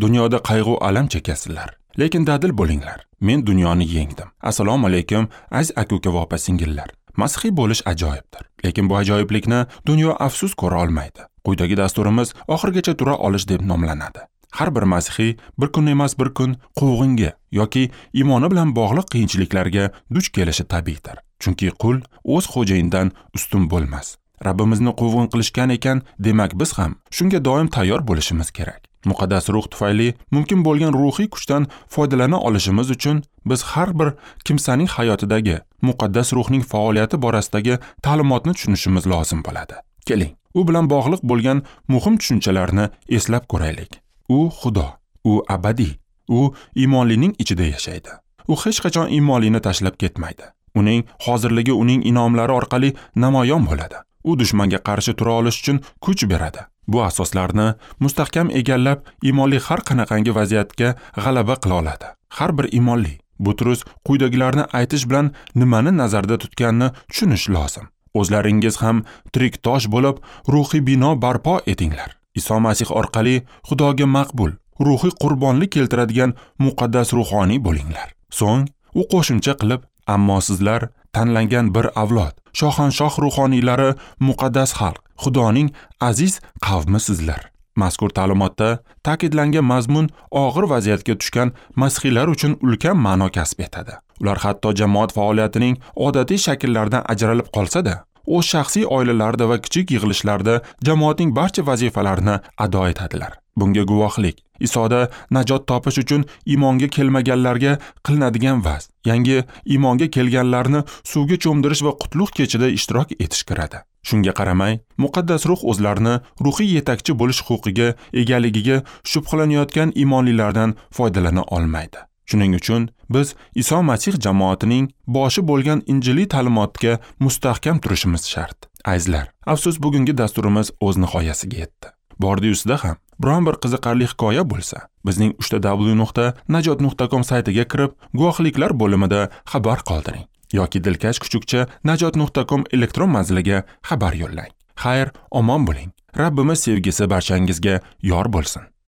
Dunyoda qayg'u alam chekasizlar, lekin dadil bo'linglar. Men dunyoni yengdim. Assalomu alaykum, aziz aka-uka va opa-singillar. Masihiy bo'lish ajoyibdir, lekin bu ajoyiblikni dunyo afsus ko'ra olmaydi. Quyidagi dasturimiz oxirigacha tura olish deb nomlanadi. Har bir masihiy bir kun emas bir kun quvg'inga yoki iymoni bilan bog'liq qiyinchiliklarga duch kelishi tabiiydir. Chunki qul o'z xo'jayinidan ustun bo'lmas. Rabbimizni quvg'in qilishgan ekan, demak biz ham shunga doim tayyor bo'lishimiz kerak. Muqaddas ruh tufayli mumkin bo'lgan ruhiy kuchdan foydalana olishimiz uchun biz har bir kimsaning hayotidagi muqaddas ruhning faoliyati borasidagi ta'limotni tushunishimiz lozim bo'ladi. Keling, u bilan bog'liq bo'lgan muhim tushunchalarni eslab ko'raylik. U Xudo, u abadiy, u iymonlining ichida yashaydi. U hech qachon iymonlini tashlab ketmaydi. Uning hozirligi uning inomlari orqali namoyon bo'ladi. U dushmanga qarshi tura olish uchun kuch beradi. Bu asoslarni mustahkam egallab, iymonli har qanaqangi vaziyatga g'alaba qila oladi. Har bir iymonli Butrus quyidagilarni aytish bilan nimani nazarda tutganini tushunish lozim. O'zlaringiz ham tirik tosh bo'lib, ruhiy bino barpo etinglar. Iso Masih orqali Xudoga maqbul, ruhiy qurbonlik keltiradigan muqaddas ruhoniy bo'linglar. So'ng u qo'shimcha qilib, ammo sizlar tanlangan bir avlod, shohanshoh ruhoniylari, muqaddas xalq, Xudoning aziz qavmi sizlar. Mazkur ta'limotda ta'kidlangan mazmun og'ir vaziyatga tushgan masihiylar uchun ulkan ma'no kasb etadi. Ular hatto jamoat faoliyatining odatiy shakllaridan ajralib qolsa-da, o'z shaxsiy oilalarida va kichik yig'ilishlarda jamoatning barcha vazifalarini ado etadilar. Bunga guvohlik Isoda najot topish uchun iymonga kelmaganlarga qilinadigan vaz, yangi iymonga kelganlarni suvga cho'mdirish va qutlug' kechida ishtirok etish kiradi. Shunga qaramay, muqaddas ruh o'zlarini ruhiy yetakchi bo'lish huquqiga egaligiga shubhalanayotgan iymonlilardan foydalana olmaydi. Shuning uchun biz Iso Masih jamoatining boshi bo'lgan injiliy ta'limotga mustahkam turishimiz shart. Azizlar, afsus bugungi dasturimiz o'z nihoyasiga yetdi. Bordi-yusida ham biron bir qiziqarli hikoya bo'lsa, bizning www.najot.com saytiga kirib, guvohliklar bo'limida xabar qoldiring yoki dilkash kuchukcha najot.com elektron manziliga xabar yo'llang. Xayr, omon bo'ling. Rabbimiz sevgisi barchangizga yor bo'lsin.